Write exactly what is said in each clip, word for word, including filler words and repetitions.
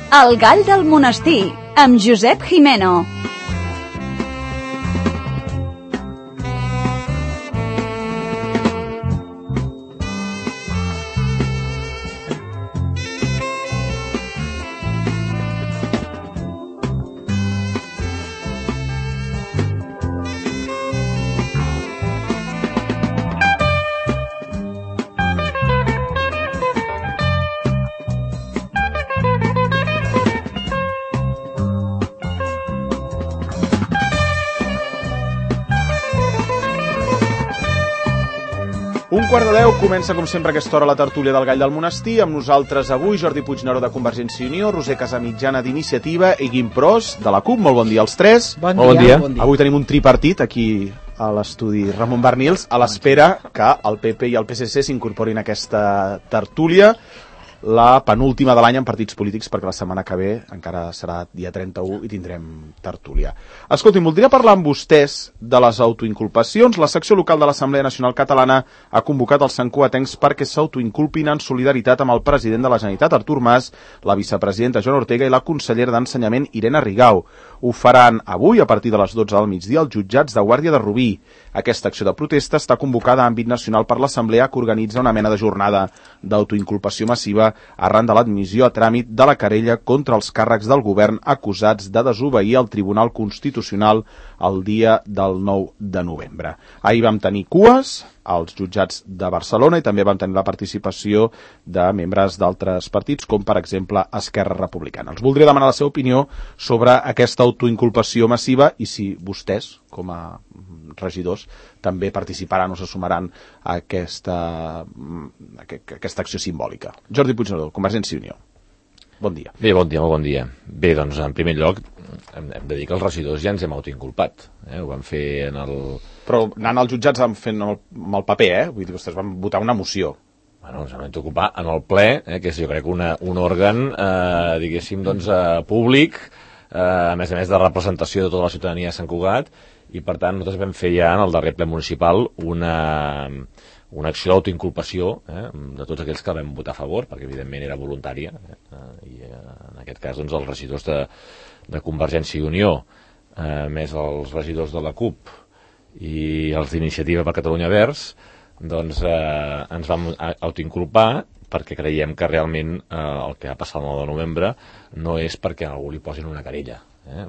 El gall del monestir, amb Josep Jimeno. Un quart de deu comença, com sempre, a aquesta hora la tertúlia del Gall del Monestir. Amb nosaltres avui Jordi Puigneró de Convergència i Unió, Roser Casamitjana d'Iniciativa i Guim Pros de la CUP. Molt bon dia als tres. Bon, Molt dia, bon dia. Avui tenim un tripartit aquí a l'estudi Ramon Barnils, a l'espera que el P P i el P S C s'incorporin a aquesta tertúlia, la penúltima de l'any en partits polítics, perquè la setmana que ve encara serà dia trenta-u i tindrem tertúlia. Escolti'm, voldria parlar amb vostès de les autoinculpacions. La secció local de l'Assemblea Nacional Catalana ha convocat els santcugatencs perquè s'autoinculpin en solidaritat amb el president de la Generalitat, Artur Mas, la vicepresidenta Joana Ortega i la consellera d'Ensenyament, Irene Rigau. Ho faran avui, a partir de les dotze del migdia, als jutjats de Guàrdia de Rubí. Aquesta acció de protesta està convocada a àmbit nacional per l'Assemblea, que organitza una mena de jornada d'autoinculpació massiva arran de l'admissió a tràmit de la querella contra els càrrecs del govern acusats de desobeir el Tribunal Constitucional el dia del nou de novembre. Ahir vam tenir cues als jutjats de Barcelona i també vam tenir la participació de membres d'altres partits, com per exemple Esquerra Republicana. Els voldria demanar la seva opinió sobre aquesta autoinculpació massiva i si vostès, com a regidors, també participaran o se sumaran a aquesta, a aquesta acció simbòlica. Jordi Puigneró, Convergència i Unió. Bon dia. Bé, bon dia, molt bon dia. Bé, doncs, en primer lloc, hem, hem de dir que els regidors ja ens hem autoinculpat. Eh? Ho vam fer en el... Però anant als jutjats fent amb el, amb el paper, eh? Vull dir, vostès van votar una moció. Bueno, ens hem d'ocupar en el ple, eh? Que és, jo crec, una, un òrgan, eh, diguéssim, doncs, eh, públic, eh, a més a més de representació de tota la ciutadania de Sant Cugat, i per tant nosaltres vam fer ja en el darrer ple municipal una, una acció d'autoinculpació eh, de tots aquells que vam votar a favor, perquè evidentment era voluntària, eh, i eh, en aquest cas doncs, els regidors de, de Convergència i Unió, eh, més els regidors de la CUP i els d'Iniciativa per Catalunya Verds, doncs eh, ens vam autoinculpar perquè creiem que realment eh, el que ha passat el nou de novembre no és perquè a algú li posin una querella. Eh?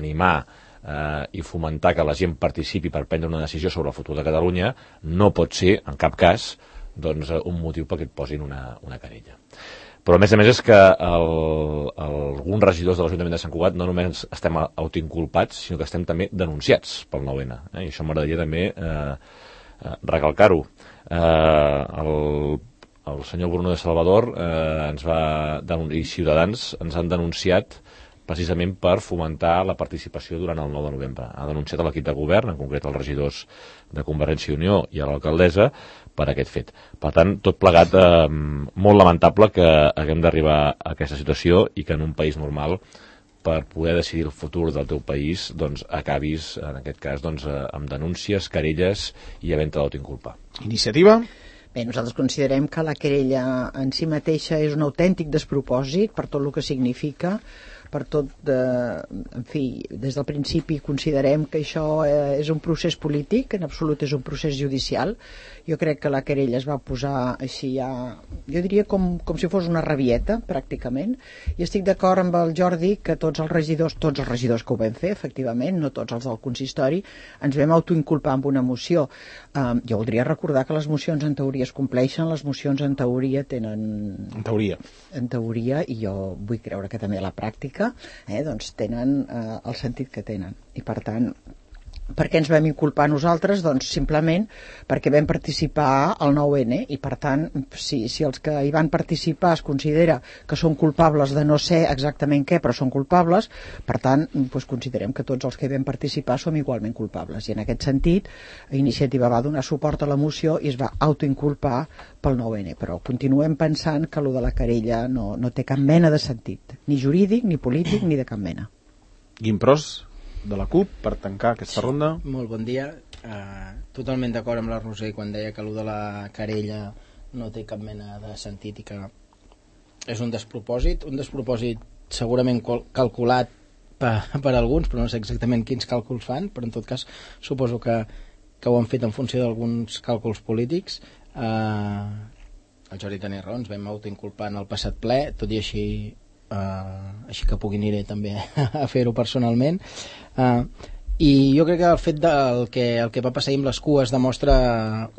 Animar Uh, i fomentar que la gent participi per prendre una decisió sobre el futur de Catalunya no pot ser, en cap cas, doncs, un motiu perquè et posin una, una querella. Però a més a més és que el, el, alguns regidors de l'Ajuntament de Sant Cugat no només estem autoinculpats, sinó que estem també denunciats pel nou ene. Eh? I això m'agradaria també eh, eh, recalcar-ho. Eh, el, el senyor Bruno de Salvador eh, ens va i Ciutadans ens han denunciat precisament per fomentar la participació durant el nou de novembre. Ha denunciat a l'equip de govern, en concret els regidors de Convergència i Unió i a l'alcaldessa, per aquest fet. Per tant, tot plegat, eh, molt lamentable que haguem d'arribar a aquesta situació i que en un país normal, per poder decidir el futur del teu país, doncs acabis, en aquest cas, doncs, amb denúncies, querelles i havent-te d'autoinculpar. Iniciativa? Bé, nosaltres considerem que la querella en si mateixa és un autèntic despropòsit per tot el que significa, per tot, de, en fi, des del principi considerem que això eh, és un procés polític, en absolut és un procés judicial. Jo crec que la querella es va posar així ja, jo diria com, com si fos una rabieta, pràcticament, i estic d'acord amb el Jordi que tots els regidors, tots els regidors que ho vam fer, efectivament, no tots els del consistori, ens vam autoinculpar amb una moció. Um, jo voldria recordar que les mocions en teoria es compleixen, les mocions en teoria tenen... En teoria. En teoria, i jo vull creure que també a la pràctica, Eh, doncs tenen eh, el sentit que tenen i per tant, per què ens vam inculpar nosaltres? Doncs simplement perquè vam participar al nou ene i per tant, si, si els que hi van participar es considera que són culpables de no ser exactament què, però són culpables, per tant, doncs considerem que tots els que hi vam participar som igualment culpables i en aquest sentit, Iniciativa va donar suport a la moció i es va autoinculpar pel nou ene, però continuem pensant que allò de la querella no, no té cap mena de sentit, ni jurídic, ni polític, ni de cap mena. Guim Pros, de la CUP, per tancar aquesta ronda. Molt bon dia. Uh, totalment d'acord amb la Roser quan deia que allò de la querella no té cap mena de sentit i que és un despropòsit, un despropòsit segurament calculat per, per alguns, però no sé exactament quins càlculs fan, però en tot cas suposo que, que ho han fet en funció d'alguns càlculs polítics. Eh, el Jordi tenia raó, ens vam autoinculpar en el passat ple, tot i així, eh, així que pugui aniré també a fer-ho personalment. Eh, I jo crec que el fet del que, el que va passar amb les cues demostra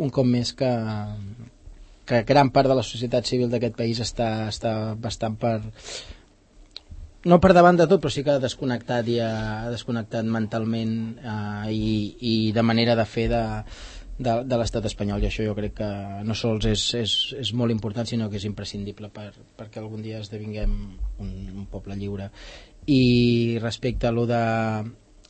un cop més que, que gran part de la societat civil d'aquest país està, està bastant per... no per davant de tot, però sí que ha desconnectat i ha desconnectat mentalment eh, i, i de manera de fer de, de, de l'estat espanyol, i això jo crec que no sols és, és, és molt important, sinó que és imprescindible per, perquè algun dia esdevinguem un, un poble lliure. I respecte a lo de...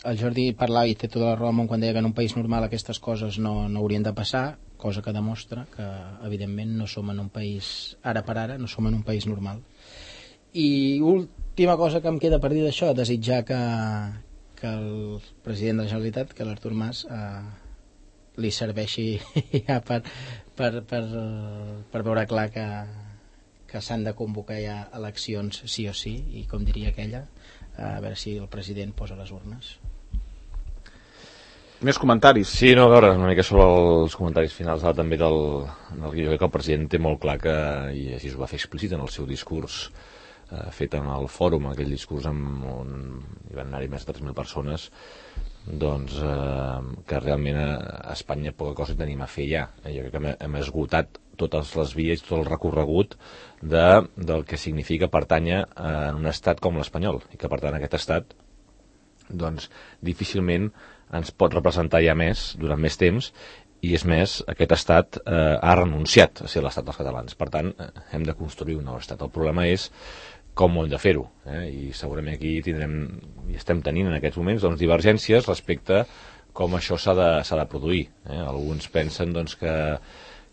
el Jordi parlava i té tota la raó quan deia que en un país normal aquestes coses no, no haurien de passar, cosa que demostra que evidentment no som en un país, ara per ara, no som en un país normal. I última cosa que em queda per dir d'això, desitjar que, que el president de la Generalitat, que l'Artur Mas, eh, li serveixi ja per, per, per, per veure clar que, que s'han de convocar ja eleccions sí o sí, i com diria aquella, a veure si el president posa les urnes. Més comentaris? Sí, no, a veure, una mica sobre els comentaris finals ara, també del, del jo crec que el president té molt clar que, i així ho va fer explícit en el seu discurs eh, fet en el fòrum, aquell discurs amb on hi van anar-hi més de tres mil persones, doncs eh, que realment a Espanya poca cosa tenim a fer ja. Eh, jo crec que hem, hem esgotat totes les vies, tot el recorregut de, del que significa pertànyer a un estat com l'espanyol, i que per tant aquest estat doncs difícilment ens pot representar ja més durant més temps, i és més, aquest estat eh, ha renunciat a ser l'estat dels catalans, per tant eh, hem de construir un nou estat. El problema és com ho hem de fer-ho, eh? I segurament aquí tindrem, i estem tenint en aquests moments doncs, divergències respecte com això s'ha de, s'ha de produir. Eh? Alguns pensen doncs, que,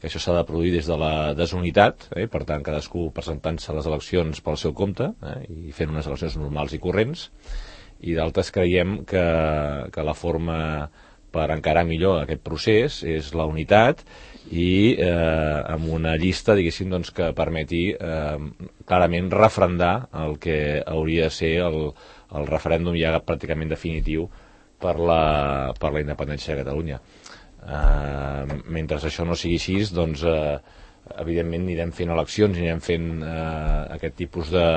que això s'ha de produir des de la desunitat, eh? Per tant cadascú presentant-se a les eleccions pel seu compte, eh? I fent unes eleccions normals i corrents, i d'altres creiem que, que la forma per encarar millor aquest procés és la unitat i eh, amb una llista, diguéssim, doncs, que permeti eh, clarament refrendar el que hauria de ser el, el referèndum ja pràcticament definitiu per la, per la independència de Catalunya. Eh, mentre això no sigui així, doncs eh, evidentment anirem fent eleccions, anirem fent eh, aquest tipus de,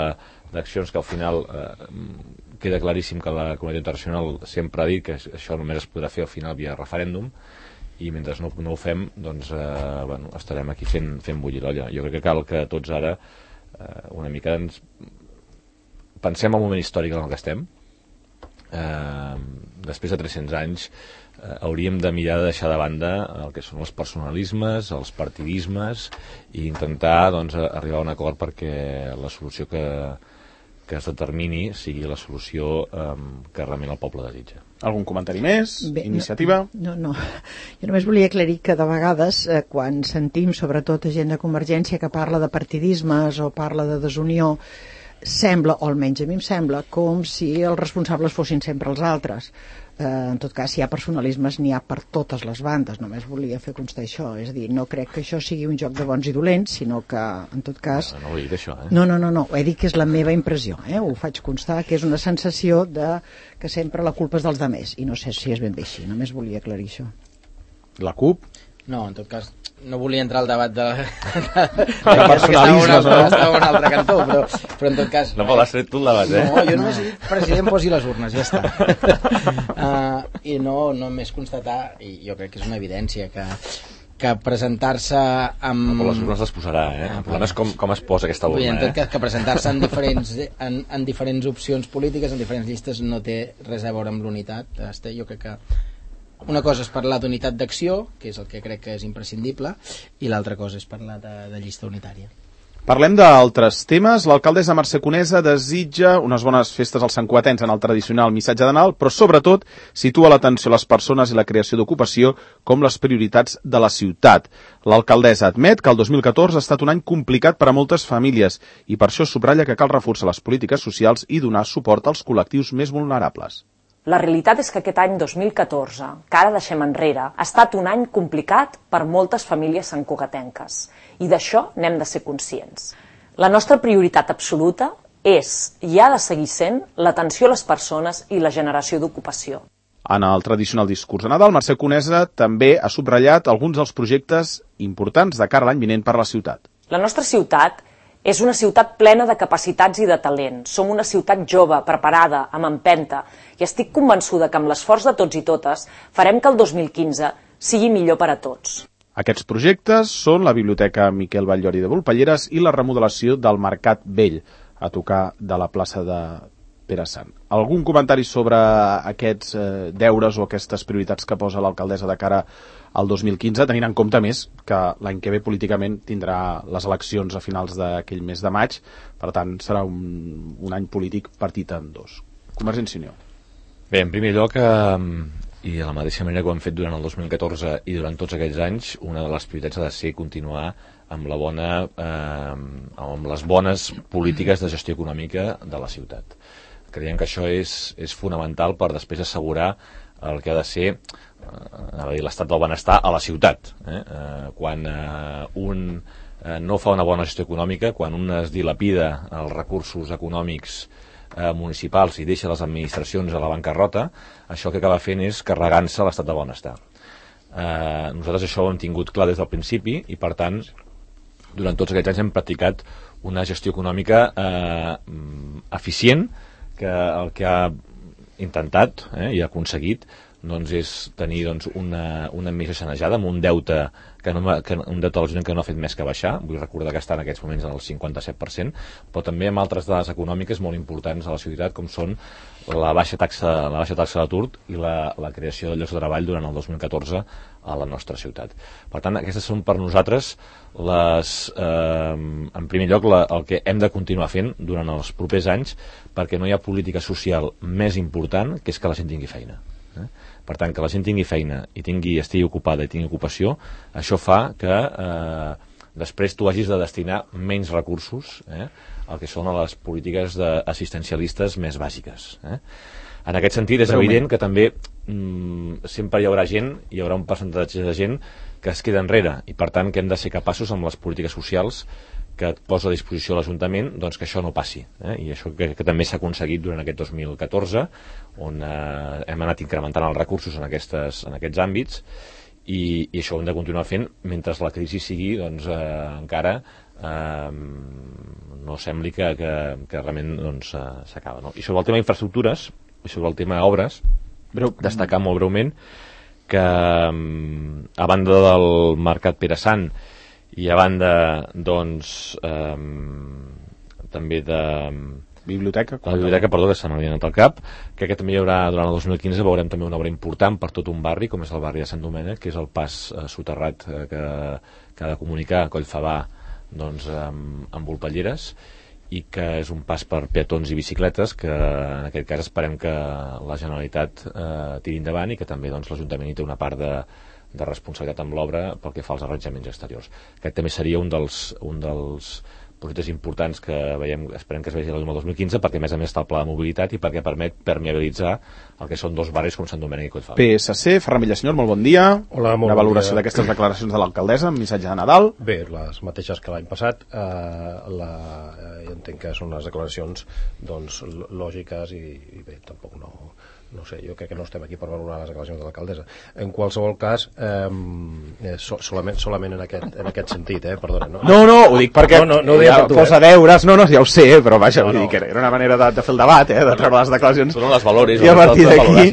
d'accions que al final eh, queda claríssim que la comunitat internacional sempre ha dit que això només es podrà fer al final via referèndum, i mentre no, no ho fem, doncs eh, bueno, estarem aquí fent, fent bullir l'olla. Jo crec que cal que tots ara eh, una mica ens pensem el moment històric en el que estem. Eh, després de tres-cents anys eh, hauríem de mirar de deixar de banda el que són els personalismes, els partidismes, i intentar doncs, arribar a un acord perquè la solució que que es determini sigui la solució eh, que realment el poble desitja. Algun comentari més? Bé, Iniciativa? No, no, no. Jo només volia aclarir que de vegades eh, quan sentim sobretot gent de Convergència que parla de partidismes o parla de desunió, sembla, o almenys a mi em sembla, com si els responsables fossin sempre els altres. Eh, en tot cas, si hi ha personalismes, n'hi ha per totes les bandes. Només volia fer constar això. És a dir, no crec que això sigui un joc de bons i dolents, sinó que, en tot cas... No, no ho he dit, això, eh? No, no, no, no. He dit que és la meva impressió, eh? Ho faig constar, que és una sensació de que sempre la culpa és dels demés, i no sé si és ben bé així. Només volia aclarir això. La CUP? No, en tot cas, no volia entrar al debat de... de, de, de personalismes, no? Estava a un altre cantó, però, però en tot cas... No, però l'has tret tu el debat, eh? No, jo només he dit, president, posi les urnes, ja està. Uh, I no, només constatar, i jo crec que és una evidència, que, que presentar-se amb... No, però les urnes les posarà, eh? El problema és com, com es posa aquesta urna, eh? En tot cas, eh? que presentar-se en diferents, en, en diferents opcions polítiques, en diferents llistes, no té res a veure amb l'unitat. Jo crec que una cosa és parlar d'unitat d'acció, que és el que crec que és imprescindible, i l'altra cosa és parlar de, de llista unitària. Parlem d'altres temes. L'alcaldessa Mercè Conesa desitja unes bones festes als santcugatencs en el tradicional missatge de Nadal, però sobretot situa l'atenció a les persones i la creació d'ocupació com les prioritats de la ciutat. L'alcaldessa admet que el dos mil catorze ha estat un any complicat per a moltes famílies i per això subratlla que cal reforçar les polítiques socials i donar suport als col·lectius més vulnerables. La realitat és que aquest any dos mil catorze, que ara deixem enrere, ha estat un any complicat per moltes famílies santcugatenques, i d'això n'hem de ser conscients. La nostra prioritat absoluta és i ha de seguir sent l'atenció a les persones i la generació d'ocupació. En el tradicional discurs de Nadal, Mercè Conesa també ha subratllat alguns dels projectes importants de cara a l'any vinent per la ciutat. La nostra ciutat és una ciutat plena de capacitats i de talent. Som una ciutat jove, preparada, amb empenta, i estic convençuda que amb l'esforç de tots i totes farem que el dos mil quinze sigui millor per a tots. Aquests projectes són la Biblioteca Miquel Batllori de Volpelleres i la remodelació del Mercat Vell, a tocar de la plaça de Pere Sant. Algun comentari sobre aquests eh, deures o aquestes prioritats que posa l'alcaldessa de cara al dos mil quinze, tenint en compte més que l'any que ve políticament tindrà les eleccions a finals d'aquell mes de maig, per tant serà un, un any polític partit en dos. Convergència i Unió. Bé, en primer lloc, eh, i de la mateixa manera que ho hem fet durant el dos mil catorze i durant tots aquests anys, una de les prioritats ha de ser continuar amb, la bona, eh, amb les bones polítiques de gestió econòmica de la ciutat. Creiem que això és, és fonamental per després assegurar el que ha de ser eh, l'estat del benestar a la ciutat. Eh? Eh, quan eh, un eh, no fa una bona gestió econòmica, quan un es dilapida els recursos econòmics eh, municipals i deixa les administracions a la bancarrota, això que acaba fent és carregant-se l'estat del benestar. Eh, nosaltres això ho hem tingut clar des del principi i, per tant, durant tots aquests anys hem practicat una gestió econòmica eh, eficient, que el que ha intentat eh, i ha aconseguit doncs, és tenir doncs, una, una missió sanejada amb un deute que no, que, un deute del que no ha fet més que baixar. Vull recordar que està en aquests moments en el cinquanta-set per cent, però també amb altres dades econòmiques molt importants a la ciutat, com són la baixa taxa, la baixa taxa d'atur i la, la creació de llocs de treball durant el dos mil catorze a la nostra ciutat. Per tant, aquestes són per nosaltres les, eh, en primer lloc la, el que hem de continuar fent durant els propers anys, perquè no hi ha política social més important que és que la gent tingui feina. Eh? Per tant, que la gent tingui feina i tingui, estigui ocupada i tingui ocupació, això fa que eh, després tu hagis de destinar menys recursos eh, al que són les polítiques assistencialistes més bàsiques. Eh? En aquest sentit, és evident que també mm, sempre hi haurà gent, hi haurà un percentatge de gent que es queda enrere, i per tant que hem de ser capaços amb les polítiques socials que et posa a disposició l'Ajuntament, doncs que això no passi. Eh? I això que, que també s'ha aconseguit durant aquest dos mil catorze, on eh, hem anat incrementant els recursos en, aquestes, en aquests àmbits, i, i això ho hem de continuar fent mentre la crisi sigui doncs, eh, encara eh, no sembli que, que, que realment doncs, eh, s'acaba. No? I sobre el tema d'infraestructures, i sobre el tema d'obres, breu, destacar molt breument que a banda del Mercat Pere Sant i a banda doncs eh, també de biblioteca, la biblioteca, perdó, que se m'havia anat al cap, que aquest també hi haurà durant el dos mil quinze, veurem també una obra important per tot un barri, com és el barri de Sant Domènec, que és el pas eh, soterrat eh, que, que ha de comunicar Collfabà doncs, amb, amb Volpelleres, i que és un pas per peatons i bicicletes que en aquest cas esperem que la Generalitat eh, tiri endavant i que també doncs, l'Ajuntament hi té una part de, de responsabilitat amb l'obra pel que fa als arranjaments exteriors. Aquest també seria un dels, un dels projectes importants que veiem, esperem que es vegi el dos mil quinze, perquè a més a més està el pla de mobilitat i perquè permet permeabilitzar el que són dos barris com Sant Domènec i Collfabà. P S C, Ferran Villasenyor, molt bon dia. Hola, molt Una bon valoració dia. d'aquestes declaracions de l'alcaldessa amb missatge de Nadal. Bé, les mateixes que l'any passat. Eh, la, eh, jo entenc que són unes declaracions doncs, lògiques i, i bé, tampoc no... no sé, jo crec que no estem aquí per valorar les declaracions de l'alcaldessa. En qualsevol cas, eh, so, solament, solament en, aquest, en aquest sentit, eh, perdona. No, No, no, ho dic perquè no, no, no ja tu, posa eh? deures, no, no, ja ho sé, però vaja, No, vull no. dir que era una manera de, de fer el debat, eh, de treure les declaracions. Són les valoris, I a partir d'aquí,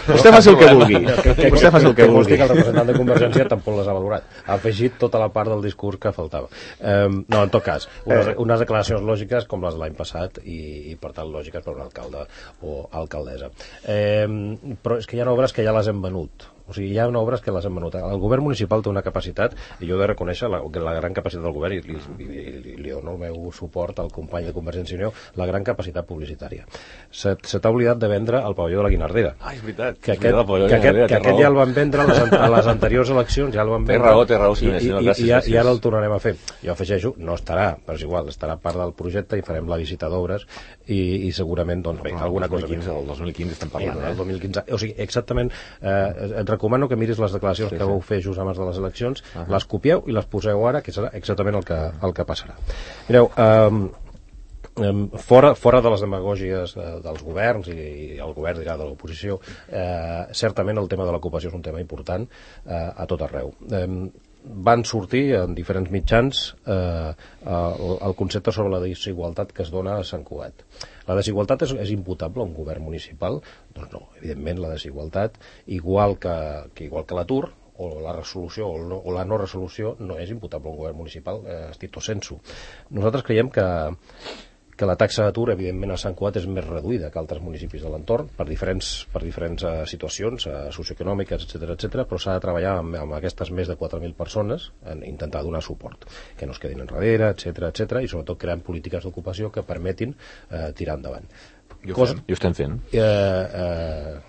vostè faci el que vulgui. Que, que, Vostè faci el que que vulgui. que el representant de Convergència tampoc les ha valorat. Ha afegit tota la part del discurs que faltava. Eh, no, en tot cas, unes, unes declaracions lògiques com les de l'any passat i, i per tant lògiques per un alcalde o alcaldessa. Eh, però és que hi ha obres que ja les hem venut. O sigui, hi ha obres que les hem venut. El govern municipal té una capacitat, i jo he de reconèixer la, la gran capacitat del govern, i li, li, li, li dono el meu suport al company de Convergència i Unió, la gran capacitat publicitària. Se, se t'ha oblidat de vendre el pavelló de la Guinardera. Ah, és veritat. Que aquest, que aquest, que aquest ja el van vendre a les, a les anteriors eleccions, ja el van Té vendre. raó, té raó, sí, I, i, senyor, i, gràcies, i, gràcies. i ara el tornarem a fer. Jo afegeixo, no estarà, però és igual, estarà part del projecte i farem la visita d'obres i, i segurament, doncs bé, alguna cosa més. El dos mil quinze estem parlant, El eh? dos mil quinze, o sigui, exactament, eh, et recomano que miris les declaracions sí, que vau fer just abans de les eleccions, uh -huh. les copieu i les poseu ara, que serà exactament el que, el que passarà. Mireu, eh, Fora, fora de les demagògies de, dels governs i, i el govern dirà de l'oposició, eh, certament el tema de l'ocupació és un tema important eh, a tot arreu. Eh, van sortir en diferents mitjans eh, el, el concepte sobre la desigualtat que es dona a Sant Cugat. La desigualtat és, és imputable a un govern municipal? Doncs no, evidentment la desigualtat, igual que, que, igual que l'atur, o la resolució o, no, o la no resolució no és imputable a un govern municipal eh, stricto sensu. Nosaltres creiem que, que la taxa d'atur, evidentment, a Sant Cugat és més reduïda que altres municipis de l'entorn per diferents, per diferents uh, situacions uh, socioeconòmiques, etcètera, etcètera, però s'ha de treballar amb, amb aquestes més de quatre mil persones en intentar donar suport, que no es quedin enrere, etcètera, etcètera, i sobretot creant polítiques d'ocupació que permetin uh, tirar endavant. I ho, Cosa, fem, i ho estem fent. Eh, eh,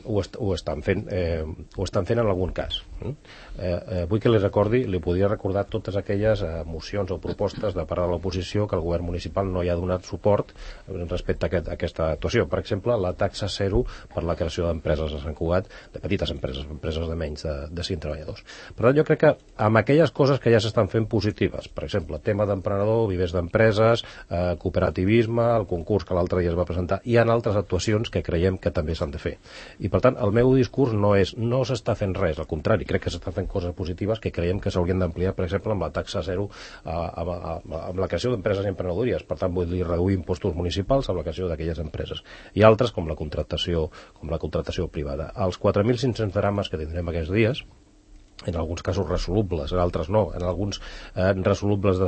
ho, est ho, estan fent, eh, ho estan fent en algun cas. Eh? Eh, eh, vull que li recordi, li podria recordar totes aquelles eh, mocions o propostes de part de l'oposició que el govern municipal no hi ha donat suport respecte a, aquest, a aquesta actuació. Per exemple, la taxa zero per la creació d'empreses a Sant Cugat, de petites empreses, empreses de menys de, de cinc treballadors. Per tant, jo crec que amb aquelles coses que ja s'estan fent positives, per exemple, tema d'emprenedor, vivers d'empreses, eh, cooperativisme, el concurs que l'altre dia es va presentar, hi ha altres actuacions que creiem que també s'han de fer. I per tant, el meu discurs no és no s'està fent res, al contrari, crec que s'estan fent coses positives que creiem que s'haurien d'ampliar, per exemple, amb la taxa zero, eh, amb, amb, amb la creació d'empreses i emprenedories. Per tant, vull dir, reduir impostos municipals amb la creació d'aquelles empreses. I altres, com la contractació, com la contractació privada. Els quatre mil cinc-cents drames que tindrem aquests dies, en alguns casos resolubles, en altres no, en alguns eh, resolubles des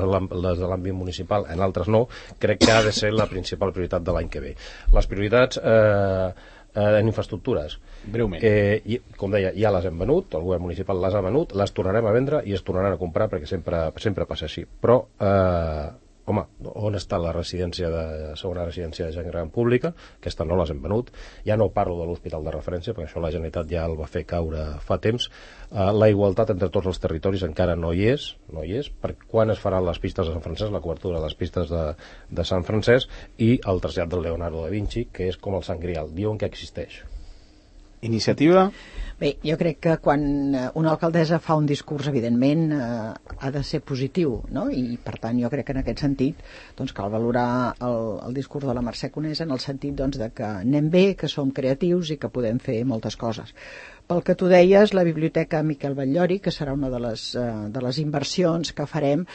de l'àmbit municipal, en altres no, crec que ha de ser la principal prioritat de l'any que ve. Les prioritats eh, eh, en infraestructures, breument, eh, i, com deia, ja les hem venut, el govern municipal les ha venut, les tornarem a vendre i es tornaran a comprar perquè sempre, sempre passa així, però eh, home, on està la residència de segona residència de gent gran pública? Aquesta no les hem venut. Ja no parlo de l'hospital de referència, perquè això la Generalitat ja el va fer caure fa temps. Uh, la igualtat entre tots els territoris encara no hi és, no hi és, per quan es faran les pistes de Sant Francesc, la cobertura de les pistes de, de Sant Francesc, i el trasllat del Leonardo da Vinci, que és com el Sant Grial, diuen que existeix. Iniciativa? Bé, jo crec que quan una alcaldessa fa un discurs, evidentment, eh, ha de ser positiu, no? I per tant jo crec que en aquest sentit doncs, cal valorar el, el discurs de la Mercè Conesa en el sentit doncs, de que anem bé, que som creatius i que podem fer moltes coses. Pel que tu deies, la Biblioteca Miquel Batllori, que serà una de les, eh, de les inversions que farem,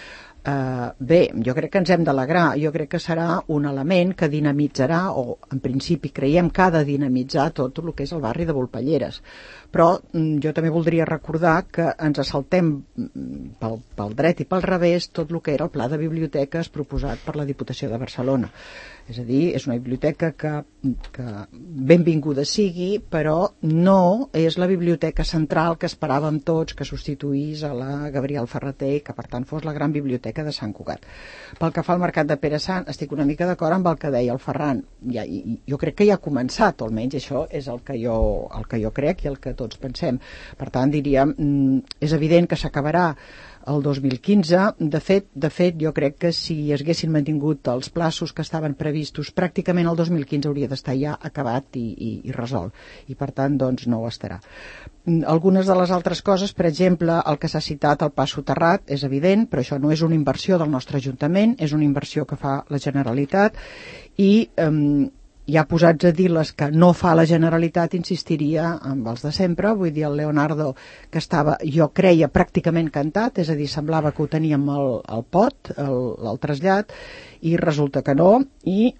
Uh, bé, jo crec que ens hem d'alegrar, jo crec que serà un element que dinamitzarà, o en principi creiem que ha de dinamitzar tot el que és el barri de Volpelleres, però mm, jo també voldria recordar que ens assaltem pel, pel dret i pel revés tot el que era el pla de biblioteques proposat per la Diputació de Barcelona. És a dir, és una biblioteca que, que benvinguda sigui, però no és la biblioteca central que esperàvem tots que substituís a la Gabriel Ferrater i que per tant fos la gran biblioteca de Sant Cugat. Pel que fa al mercat de Pere Sant, estic una mica d'acord amb el que deia el Ferran. Ja, jo crec que ja ha començat, o almenys això és el que jo, el que jo crec i el que tots pensem. Per tant, diríem, és evident que s'acabarà el dos mil quinze. De fet, de fet, jo crec que si es haguessin mantingut els plaços que estaven previstos, pràcticament el dos mil quinze hauria d'estar ja acabat i, i, i resolt. I per tant, doncs, no ho estarà. Algunes de les altres coses, per exemple, el que s'ha citat, el pas soterrat, és evident, però això no és una inversió del nostre Ajuntament, és una inversió que fa la Generalitat i eh, ja posats a dir les que no fa la Generalitat, insistiria amb els de sempre. Vull dir, el Leonardo, que estava, jo creia, pràcticament cantat, és a dir, semblava que ho teníem al, al pot, el, el trasllat, i resulta que no, i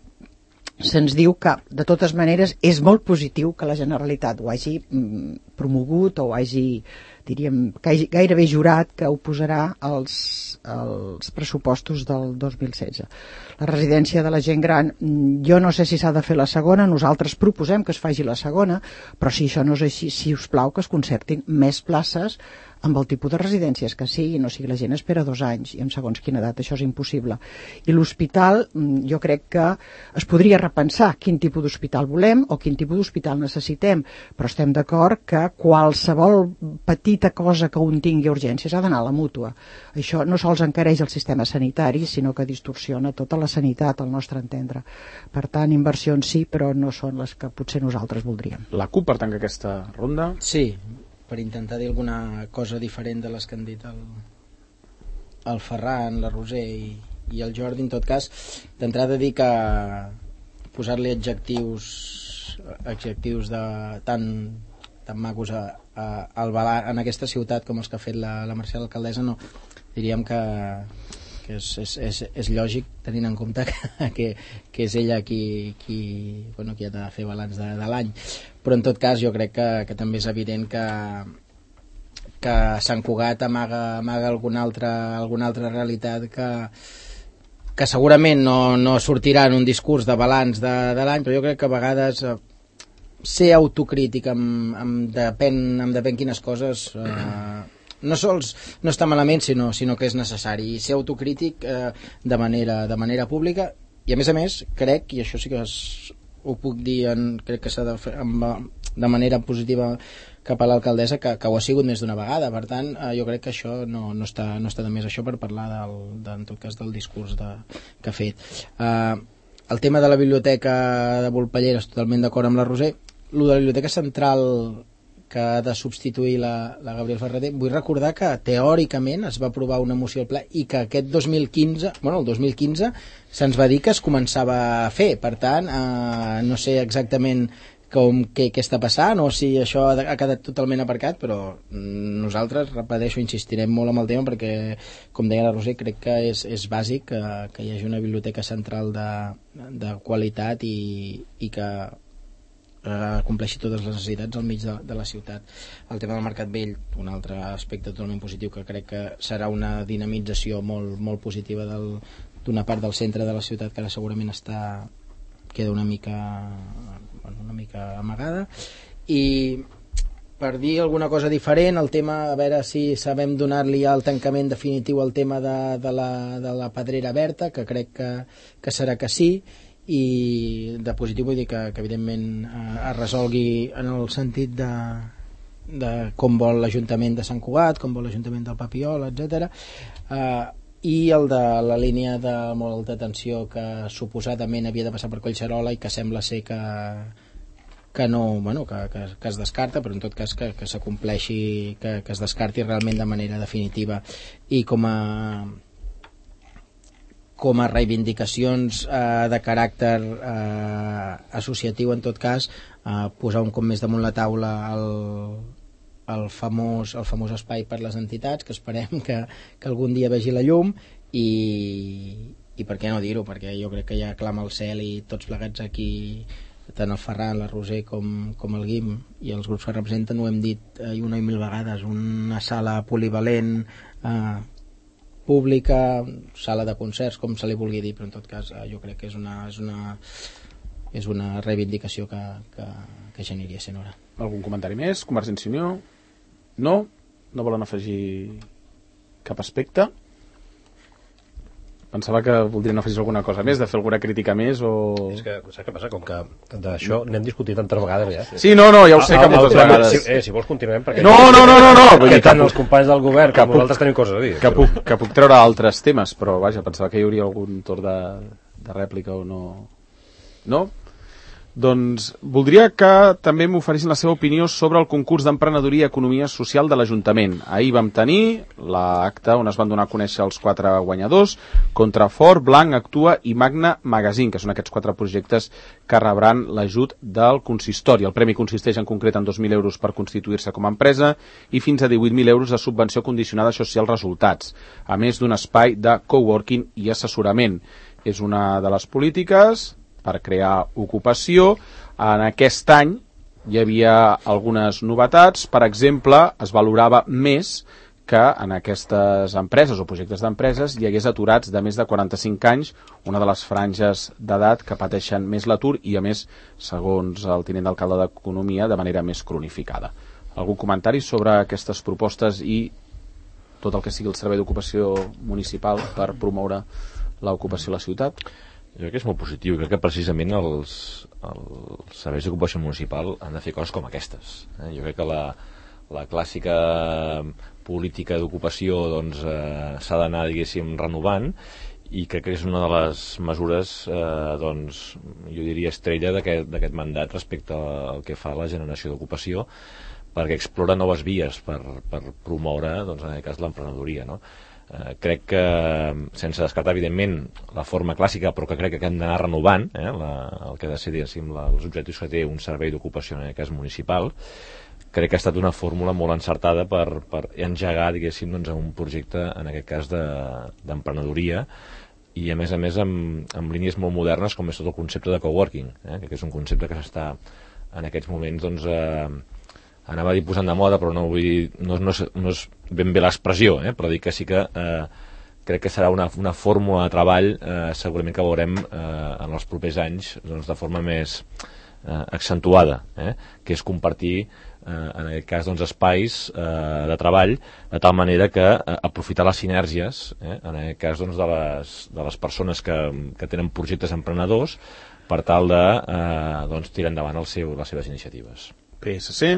se'ns diu que, de totes maneres, és molt positiu que la Generalitat ho hagi mm, promogut o ho hagi, diríem, gairebé jurat que ho posarà als, als pressupostos del dos mil setze. La residència de la gent gran, jo no sé si s'ha de fer la segona, nosaltres proposem que es faci la segona, però si això no és així, si us plau que es concertin més places amb el tipus de residències que sigui, no sigui la gent espera dos anys i en segons quina edat això és impossible. I l'hospital, jo crec que es podria repensar quin tipus d'hospital volem o quin tipus d'hospital necessitem, però estem d'acord que qualsevol petita cosa que un tingui urgències ha d'anar a la mútua. Això no sols encareix el sistema sanitari, sinó que distorsiona tota la sanitat, al nostre entendre. Per tant, inversions sí, però no són les que potser nosaltres voldríem. La CUP, per tancar aquesta ronda? Sí, per intentar dir alguna cosa diferent de les que han dit el, el Ferran, la Roser i, i el Jordi, en tot cas, d'entrada dir que posar-li adjectius adjectius de tan, tan macos a, a, al balanç, en aquesta ciutat com els que ha fet la, la Mercè l'alcaldessa, no, diríem que, que és, és, és, és lògic tenint en compte que, que, que és ella qui, qui, bueno, qui ha de fer balanç de, de l'any, però en tot cas jo crec que, que també és evident que que Sant Cugat amaga, amaga alguna, altra, alguna altra realitat que, que segurament no, no sortirà en un discurs de balanç de, de l'any, però jo crec que a vegades eh, ser autocrític amb, amb, depèn, amb depèn quines coses eh, no sols no està malament, sinó, sinó que és necessari, i ser autocrític eh, de, manera, de manera pública, i a més a més crec, i això sí que es, ho puc dir, en, crec que s'ha de fer amb, de manera positiva cap a l'alcaldessa, que, que ho ha sigut més d'una vegada. Per tant, eh, jo crec que això no, no, està, no està de més això per parlar del, de, en tot cas del discurs de, que ha fet. Eh, el tema de la biblioteca de Volpellera, és totalment d'acord amb la Roser. El de la biblioteca central que ha de substituir la, la Gabriel Ferreter, vull recordar que teòricament es va aprovar una moció al ple i que aquest dos mil quinze, bueno, el dos mil quinze se'ns va dir que es començava a fer. Per tant, eh, no sé exactament com, què, què està passant o si això ha, ha quedat totalment aparcat, però nosaltres, repeteixo, insistirem molt amb el tema perquè, com deia la Roser, crec que és, és bàsic que, que hi hagi una biblioteca central de, de qualitat i, i que eh, compleixi totes les necessitats al mig de, de la ciutat. El tema del Mercat Vell, un altre aspecte totalment positiu que crec que serà una dinamització molt, molt positiva del, d'una part del centre de la ciutat que ara segurament està queda una mica una mica amagada. I per dir alguna cosa diferent, el tema, a veure si sabem donar-li el tancament definitiu al tema de, de, la, de la Pedrera Berta, que crec que, que serà que sí, i de positiu vull dir que, que evidentment eh, es resolgui en el sentit de, de com vol l'Ajuntament de Sant Cugat, com vol l'Ajuntament del Papiol, etcètera. Eh, i el de la línia de molt alta tensió que suposadament havia de passar per Collserola i que sembla ser que que no, bueno, que, que, que es descarta, però en tot cas que, que s'acompleixi, que, que es descarti realment de manera definitiva. I com a com a reivindicacions eh, de caràcter eh, associatiu, en tot cas, eh, posar un cop més damunt la taula el, el, famós, el famós espai per les entitats, que esperem que, que algun dia vegi la llum, i, i per què no dir-ho, perquè jo crec que ja clama el cel i tots plegats aquí, tant el Ferran, la Roser com, com el Guim i els grups que representen, ho hem dit eh, una i mil vegades, una sala polivalent, eh, pública, sala de concerts, com se li vulgui dir, però en tot cas eh, jo crec que és una, és una, és una reivindicació que, que, que ja aniria sent hora. Algun comentari més? Convergència i Unió? No? No volen afegir cap aspecte? Pensava que voldrien afegir alguna cosa més, de fer alguna crítica més o... És que, saps què passa? Com que d'això n'hem discutit tantes vegades ja. Sí, no, no, ja ho sé ah, que moltes ah, vegades... Si, eh, si vols continuem, perquè... No, no, no, no, no! Perquè tant els companys del govern que nosaltres tenim coses a dir. Que puc, que puc treure altres temes, però vaja, pensava que hi hauria algun torn de, de rèplica o no... No? Doncs voldria que també m'oferissin la seva opinió sobre el concurs d'emprenedoria i economia social de l'Ajuntament. Ahir vam tenir l'acte on es van donar a conèixer els quatre guanyadors, Contrafort, Blanc, Actua i Magna Magazine, que són aquests quatre projectes que rebran l'ajut del consistori. El premi consisteix en concret en dos mil euros per constituir-se com a empresa i fins a divuit mil euros de subvenció condicionada a això sí als resultats, a més d'un espai de coworking i assessorament. És una de les polítiques per crear ocupació. En aquest any hi havia algunes novetats. Per exemple, es valorava més que en aquestes empreses o projectes d'empreses hi hagués aturats de més de quaranta-cinc anys, una de les franges d'edat que pateixen més l'atur i, a més, segons el tinent d'alcalde d'Economia, de manera més cronificada. Algun comentari sobre aquestes propostes i tot el que sigui el servei d'ocupació municipal per promoure l'ocupació a la ciutat? Jo crec que és molt positiu. Crec que precisament els, els serveis d'ocupació municipal han de fer coses com aquestes. Eh? Jo crec que la, la clàssica política d'ocupació doncs, eh, s'ha d'anar, diguéssim, renovant, i crec que és una de les mesures, eh, doncs, jo diria estrella d'aquest mandat respecte al que fa la generació d'ocupació, perquè explora noves vies per, per promoure, doncs, en aquest cas, l'emprenedoria, no? eh, crec que, sense descartar evidentment la forma clàssica, però que crec que hem d'anar renovant, eh, la, el que ha de ser, diguéssim, la, els objectius que té un servei d'ocupació, en aquest cas municipal, crec que ha estat una fórmula molt encertada per, per engegar, diguéssim, doncs, un projecte, en aquest cas, de, d'emprenedoria, i a més a més amb, amb línies molt modernes com és tot el concepte de coworking, eh, que és un concepte que s'està en aquests moments, doncs, eh, anava a dir posant de moda, però no, vull dir, no, no, és, no és ben bé l'expressió, eh, però dic que sí que eh, crec que serà una, una fórmula de treball eh, segurament que veurem eh, en els propers anys, doncs, de forma més eh, accentuada, eh, que és compartir eh, en aquest cas, doncs, espais eh, de treball, de tal manera que eh, aprofitar les sinergies, eh, en aquest cas, doncs, de, les, de les persones que, que tenen projectes emprenedors, per tal de eh, doncs, tirar endavant el seu, les seves iniciatives. P S C.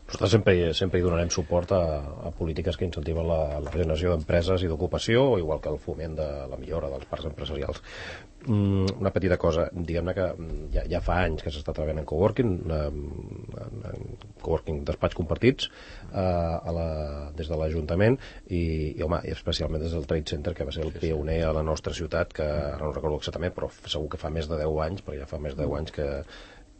Nosaltres sempre, sempre hi donarem suport a, a polítiques que incentiven la, la generació d'empreses i d'ocupació, igual que el foment de la millora dels parcs empresarials. Mm, una petita cosa, diguem-ne que ja, ja fa anys que s'està treballant en coworking, en, en coworking despatx compartits, eh, a la, des de l'Ajuntament, i, i home, i especialment des del Trade Center, que va ser el pioner a la nostra ciutat, que ara no recordo exactament, però segur que fa més de deu anys, perquè ja fa més de deu anys que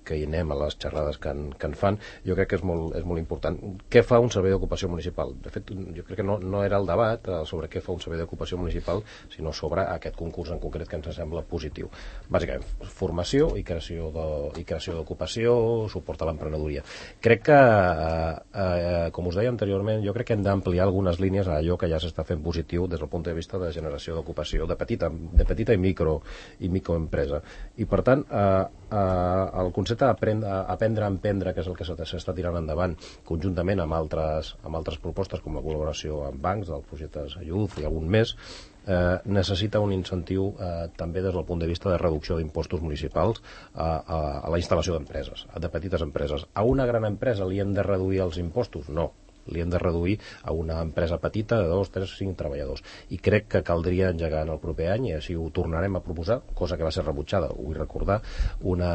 que hi anem a les xerrades que en, que en fan. Jo crec que és molt, és molt important. Què fa un servei d'ocupació municipal? De fet, jo crec que no, no era el debat eh, sobre què fa un servei d'ocupació municipal, sinó sobre aquest concurs en concret que ens sembla positiu. Bàsicament, formació i creació de, i creació d'ocupació, suport a l'emprenedoria. Crec que, eh, eh, com us deia anteriorment, jo crec que hem d'ampliar algunes línies a allò que ja s'està fent positiu des del punt de vista de generació d'ocupació de petita, de petita i micro i microempresa. I per tant, eh, eh, el concepte aprendre, aprendre a emprendre, que és el que s'està tirant endavant conjuntament amb altres, amb altres propostes com la col·laboració amb bancs del projecte Youth i algun més, eh, necessita un incentiu eh, també des del punt de vista de reducció d'impostos municipals a, a, a la instal·lació d'empreses, de petites empreses. A una gran empresa li hem de reduir els impostos? No. Li hem de reduir a una empresa petita de dos, tres, cinc treballadors. I crec que caldria engegar en el proper any, i així ho tornarem a proposar, cosa que va ser rebutjada, ho vull recordar, una,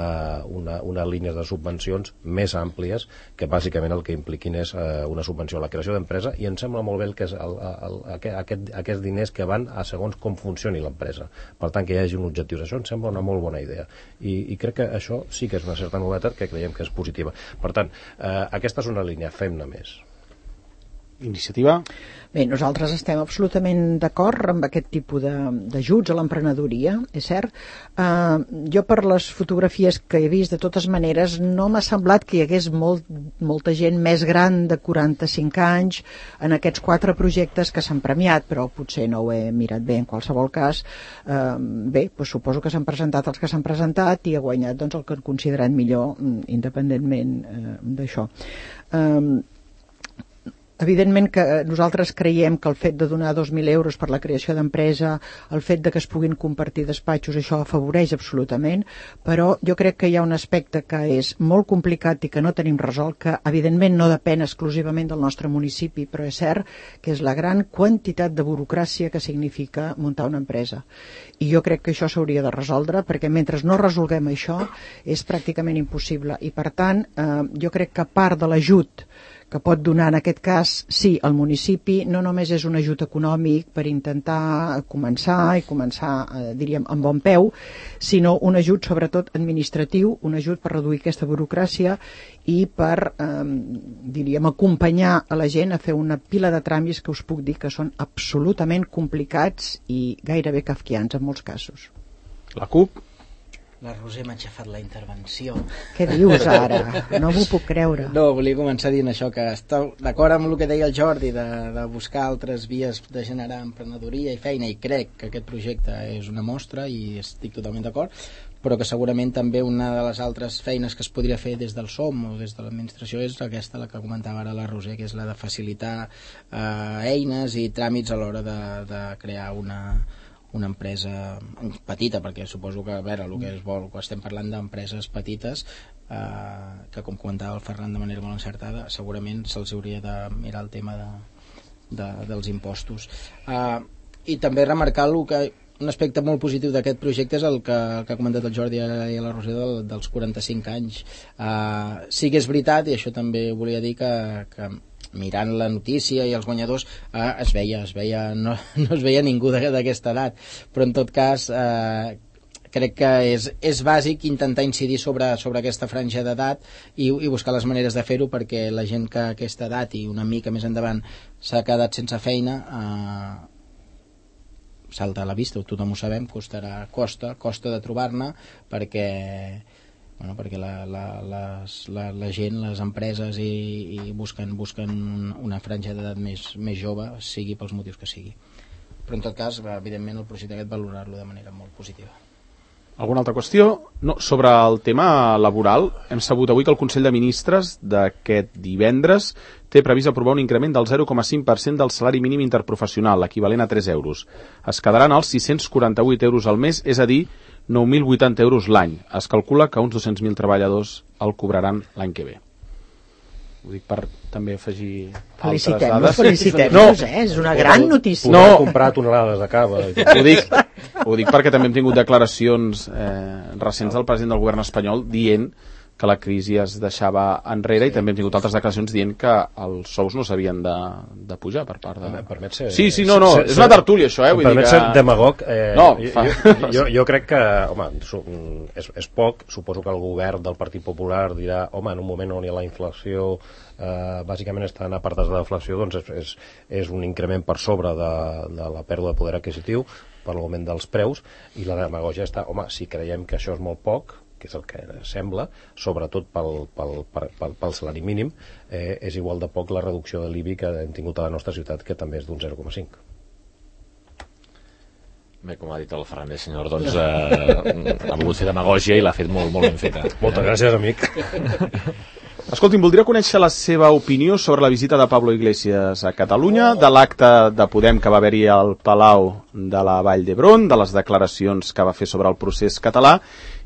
una, una línies de subvencions més àmplies que bàsicament el que impliquin és eh, una subvenció a la creació d'empresa, i em sembla molt bé el que és el, el, el, aquest, aquests diners que van a segons com funcioni l'empresa. Per tant, que hi hagi un objectiu. Això em sembla una molt bona idea. I, i crec que això sí que és una certa novetat que creiem que és positiva. Per tant, eh, aquesta és una línia, fem-ne més. Iniciativa? Bé, nosaltres estem absolutament d'acord amb aquest tipus d'ajuts a l'emprenedoria, és cert. Uh, jo per les fotografies que he vist, de totes maneres, no m'ha semblat que hi hagués molt, molta gent més gran de quaranta-cinc anys en aquests quatre projectes que s'han premiat, però potser no ho he mirat bé en qualsevol cas. Uh, bé, doncs suposo que s'han presentat els que s'han presentat i ha guanyat doncs, el que han considerat millor, independentment uh, d'això. Uh, Evidentment que nosaltres creiem que el fet de donar dos mil euros per la creació d'empresa, el fet de que es puguin compartir despatxos, això afavoreix absolutament, però jo crec que hi ha un aspecte que és molt complicat i que no tenim resolt, que evidentment no depèn exclusivament del nostre municipi, però és cert que és la gran quantitat de burocràcia que significa muntar una empresa. I jo crec que això s'hauria de resoldre, perquè mentre no resolguem això és pràcticament impossible. I per tant, eh, jo crec que part de l'ajut que pot donar en aquest cas, sí, el municipi no només és un ajut econòmic per intentar començar i començar, eh, diríem, amb bon peu, sinó un ajut sobretot administratiu, un ajut per reduir aquesta burocràcia i per, eh, diríem, acompanyar a la gent a fer una pila de tràmits que us puc dir que són absolutament complicats i gairebé kafkians en molts casos. La CUP? La Roser m'ha aixafat la intervenció. Què dius ara? No m'ho puc creure. No, volia començar dient això, que està d'acord amb el que deia el Jordi de, de buscar altres vies de generar emprenedoria i feina, i crec que aquest projecte és una mostra i estic totalment d'acord, però que segurament també una de les altres feines que es podria fer des del S O M o des de l'administració és aquesta, la que comentava ara la Roser, que és la de facilitar eh, eines i tràmits a l'hora de, de crear una una empresa petita, perquè suposo que a veure, el que es vol, quan estem parlant d'empreses petites, eh, que com comentava el Ferran de manera molt encertada, segurament se'ls hauria de mirar el tema de, de, dels impostos. Eh, i també remarcar el que un aspecte molt positiu d'aquest projecte és el que, el que ha comentat el Jordi i la Roser del, dels quaranta-cinc anys. Uh, sí que és veritat, i això també volia dir que, que mirant la notícia i els guanyadors eh, es veia, es veia no, no es veia ningú d'aquesta edat, però en tot cas eh, crec que és, és bàsic intentar incidir sobre, sobre aquesta franja d'edat i, i buscar les maneres de fer-ho, perquè la gent que a aquesta edat i una mica més endavant s'ha quedat sense feina eh, salta a la vista, tothom ho sabem, costarà, costa, costa de trobar-ne, perquè bueno, perquè la, la, les, la, la gent, les empreses i, i busquen, busquen una franja d'edat més, més jove, sigui pels motius que sigui. Però en tot cas, evidentment, el projecte aquest valorar-lo de manera molt positiva. Alguna altra qüestió? No, sobre el tema laboral, hem sabut avui que el Consell de Ministres d'aquest divendres té previst aprovar un increment del zero coma cinc per cent del salari mínim interprofessional, l'equivalent a tres euros. Es quedaran als sis-cents quaranta-vuit euros al mes, és a dir, nou mil vuitanta euros l'any. Es calcula que uns dos-cents mil treballadors el cobraran l'any que ve. Ho dic per també afegir altres dades. Felicitem-nos, eh? És una gran notícia. No, he comprat tonelades de cava. Ho dic, ho dic perquè també hem tingut declaracions eh, recents del president del govern espanyol dient que la crisi es deixava enrere, sí. I també hem tingut altres declaracions dient que els sous no s'havien de, de pujar per part de... Em permet ser... Sí, sí, no, no, ser, és una tertúlia això, eh? Em permet que... ser demagog. Eh, no, fa... jo, jo, jo crec que, home, és, és poc, suposo que el govern del Partit Popular dirà, home, en un moment on hi ha la inflació, eh, bàsicament estan apartats de la inflació, doncs és, és, és un increment per sobre de, de la pèrdua de poder adquisitiu per l'augment dels preus, i la demagogia està, home, si creiem que això és molt poc, que és el que sembla, sobretot pel, pel, pel, pel salari mínim, eh, és igual de poc la reducció de l'I B I que hem tingut a la nostra ciutat, que també és d'un zero coma cinc. Bé, com ha dit el Fernández, senyor, doncs eh, ha volgut fer demagògia i l'ha fet molt, molt ben feta. Moltes gràcies, amic. Escolti'm, voldria conèixer la seva opinió sobre la visita de Pablo Iglesias a Catalunya, de l'acte de Podem que va haver-hi al Palau de la Vall d'Hebron, de les declaracions que va fer sobre el procés català,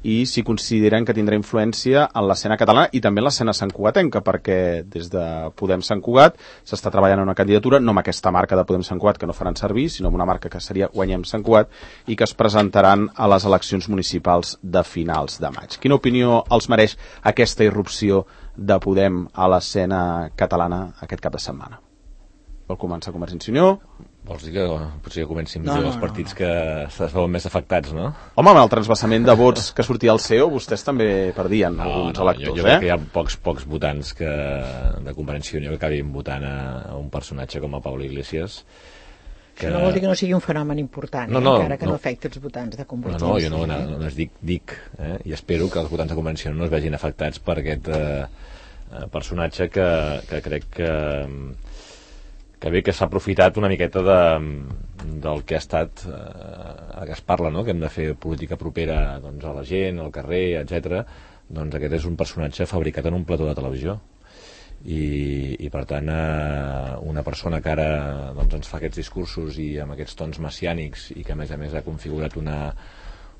i si consideren que tindrà influència en l'escena catalana i també en l'escena santcugatenca, perquè des de Podem Sant Cugat s'està treballant en una candidatura, no amb aquesta marca de Podem Sant Cugat que no faran servir, sinó amb una marca que seria Guanyem Sant Cugat, i que es presentaran a les eleccions municipals de finals de maig. Quina opinió els mereix aquesta irrupció de Podem a l'escena catalana aquest cap de setmana? Vol començar Convergència i Unió? Vols dir que potser que comencin no, no, no, els partits no, no. que es veuen més afectats, no? Home, amb el transvassament de vots que sortia al C E O, vostès també perdien no, alguns no, electors, jo, jo eh? crec que hi ha pocs, pocs votants que, de Convergència i Unió que acabin votant a, a un personatge com a Pablo Iglesias. Que... Això no vol dir que no sigui un fenomen important, no, no, eh? encara que no, no afecti els votants de Convergència. No, no, jo no, no, no es dic, dic eh? I espero que els votants de Convergència no es vegin afectats per aquest eh, personatge que, que crec que... que bé que s'ha aprofitat una miqueta de, del que ha estat eh, que es parla, no? Que hem de fer política propera doncs, a la gent, al carrer, etcètera. Doncs aquest és un personatge fabricat en un plató de televisió i, i per tant eh, una persona que ara doncs, ens fa aquests discursos i amb aquests tons messiànics i que a més a més ha configurat una,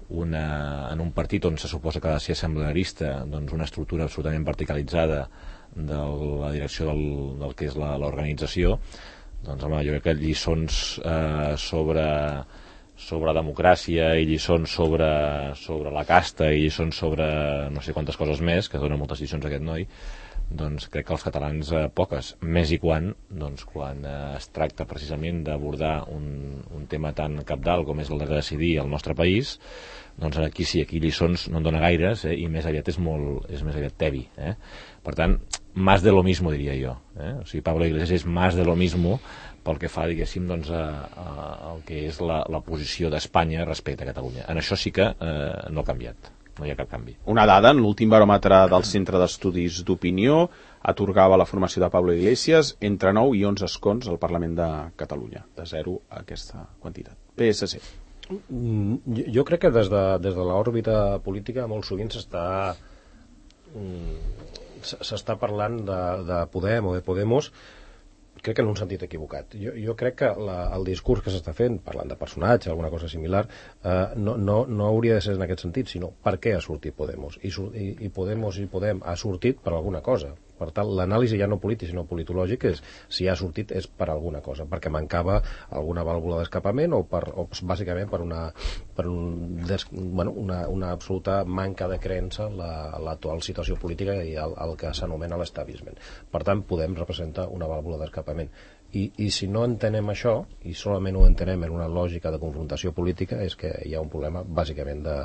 una, en un partit on se suposa que ha de ser assemblearista, doncs una estructura absolutament verticalitzada de la direcció del, del que és l'organització, doncs home, jo crec que lliçons eh, sobre, sobre democràcia i lliçons sobre, sobre la casta i lliçons sobre no sé quantes coses més, que dona moltes lliçons a aquest noi, doncs crec que els catalans eh, poques, més i quan doncs quan eh, es tracta precisament d'abordar un, un tema tan cabdal com és el de decidir el nostre país, doncs aquí sí, aquí lliçons no en dona gaires, eh, i més aviat és molt, és més aviat tebi, eh? Per tant, más de lo mismo, diria jo, eh? O sigui, Pablo Iglesias és más de lo mismo pel que fa, diguéssim, doncs, a, a, a el que és la, la posició d'Espanya respecte a Catalunya. En això sí que eh, no ha canviat, no hi ha cap canvi. Una dada, en l'últim baròmetre del Centre d'Estudis d'Opinió atorgava la formació de Pablo Iglesias entre nou i onze escons al Parlament de Catalunya, de zero a aquesta quantitat. P S C. Jo, jo crec que des de, des de l'òrbita política molt sovint s'està s'està parlant de, de Podem o de Podemos, crec que en un sentit equivocat. Jo, jo crec que la, el discurs que s'està fent, parlant de personatge, alguna cosa similar, eh, no, no, no hauria de ser en aquest sentit, sinó per què ha sortit Podemos. I, i, i Podemos i Podem ha sortit per alguna cosa. Per tant, l'anàlisi ja no polític sinó politològic és, si ha sortit és per alguna cosa, perquè mancava alguna vàlvula d'escapament o, per, o bàsicament per una, per un des, bueno, una, una absoluta manca de creença en l'actual situació política i el, el que s'anomena l'establishment. Per tant, podem representar una vàlvula d'escapament. I, I si no entenem això, i solament ho entenem en una lògica de confrontació política, és que hi ha un problema bàsicament de,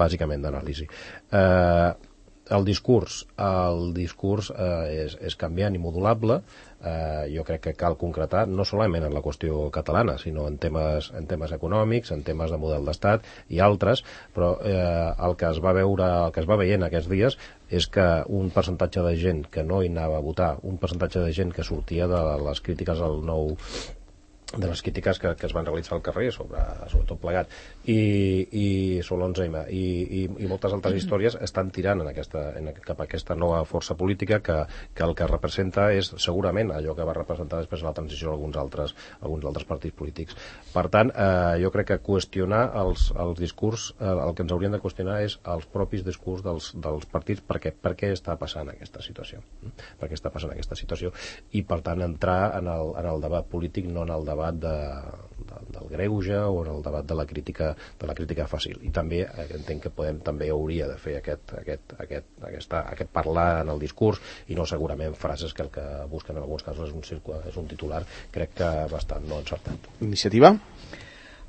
bàsicament d'anàlisi. Eh, el discurs el discurs eh, és, és canviant i modulable. Eh, jo crec que cal concretar no solament en la qüestió catalana sinó en temes, en temes econòmics, en temes de model d'estat i altres, però eh, el que es va veure, el que es va veient aquests dies és que un percentatge de gent que no hi anava a votar, un percentatge de gent que sortia de les crítiques al nou de les crítiques que, que es van realitzar al carrer sobre, sobre tot plegat i, i sobre l'onze eme i, i, i moltes altres històries estan tirant en aquesta, en, cap a aquesta nova força política que, que el que representa és segurament allò que va representar després la transició d'alguns altres, alguns altres partits polítics. Per tant, eh, jo crec que qüestionar els, els discurs, eh, el que ens haurien de qüestionar és els propis discurs dels, dels partits, perquè per què està passant aquesta situació, per què està passant aquesta situació i per tant entrar en el, en el debat polític, no en el debat De, de, del greuge o en el debat de la crítica de la crítica fàcil. I també eh, entenc que podem també hauria de fer aquest, aquest, aquest, aquesta, aquest parlar en el discurs i no segurament frases que el que busquen en alguns casos és un, circular, és un titular crec que bastant no encertat. Iniciativa?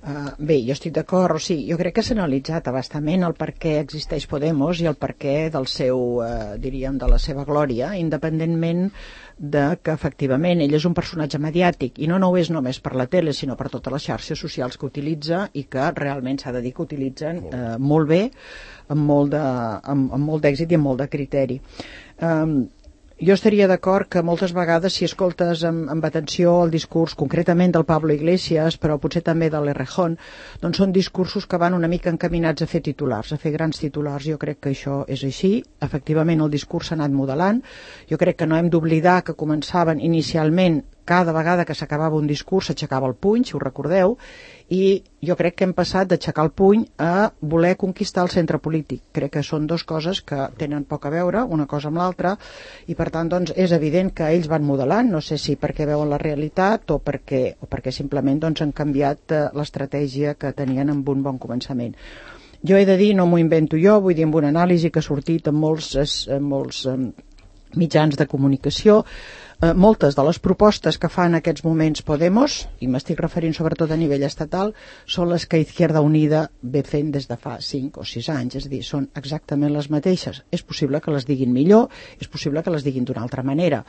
Uh, bé, jo estic d'acord, o sigui, jo crec que s'ha analitzat abastament el per què existeix Podemos i el per què del seu, uh, diríem, de la seva glòria, independentment de que efectivament ell és un personatge mediàtic i no, no ho és només per la tele sinó per totes les xarxes socials que utilitza i que realment s'ha de dir que utilitzen eh, molt bé, amb molt de, amb, amb molt d'èxit i amb molt de criteri. Um, jo estaria d'acord que moltes vegades si escoltes amb, amb atenció el discurs concretament del Pablo Iglesias però potser també de l'Errejón, doncs són discursos que van una mica encaminats a fer titulars, a fer grans titulars. Jo crec que això és així, efectivament el discurs s'ha anat modelant. Jo crec que no hem d'oblidar que començaven inicialment cada vegada que s'acabava un discurs s'aixecava el puny, si ho recordeu, i jo crec que hem passat d'aixecar el puny a voler conquistar el centre polític. Crec que són dues coses que tenen poc a veure, una cosa amb l'altra, i per tant doncs, és evident que ells van modelant, no sé si perquè veuen la realitat o perquè, o perquè simplement doncs, han canviat eh, l'estratègia que tenien amb un bon començament. Jo he de dir, no m'ho invento jo, vull dir, amb una anàlisi que ha sortit en molts, en molts eh, mitjans de comunicació, Eh, moltes de les propostes que fa en aquests moments Podemos, i m'estic referint sobretot a nivell estatal, són les que Izquierda Unida ve fent des de fa cinc o sis anys, és a dir, són exactament les mateixes. És possible que les diguin millor, és possible que les diguin d'una altra manera.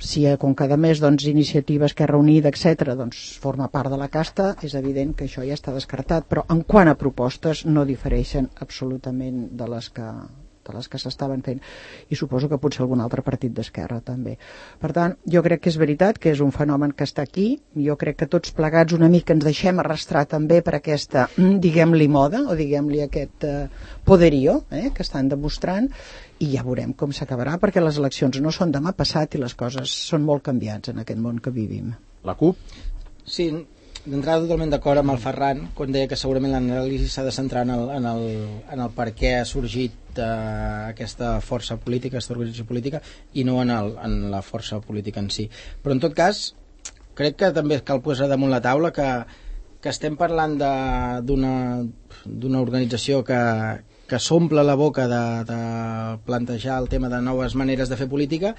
Si eh, com cada mes doncs, Iniciativa, Esquerra Unida, etcètera, doncs forma part de la casta, és evident que això ja està descartat, però en quant a propostes no difereixen absolutament de les que de les que s'estaven fent, i suposo que potser algun altre partit d'esquerra també. Per tant, jo crec que és veritat que és un fenomen que està aquí, jo crec que tots plegats una mica ens deixem arrastrar també per aquesta, diguem-li moda, o diguem-li aquest eh, poderío eh, que estan demostrant, i ja veurem com s'acabarà, perquè les eleccions no són demà passat i les coses són molt canviants en aquest món que vivim. La CUP? Sí, d'entrada totalment d'acord amb el Ferran quan deia que segurament l'anàlisi s'ha de centrar en el, en el, en el per què ha sorgit eh, aquesta força política, aquesta organització política, i no en, el, en la força política en si. Però en tot cas crec que també cal posar damunt la taula que, que estem parlant d'una d'una organització que, que s'omple la boca de, de plantejar el tema de noves maneres de fer política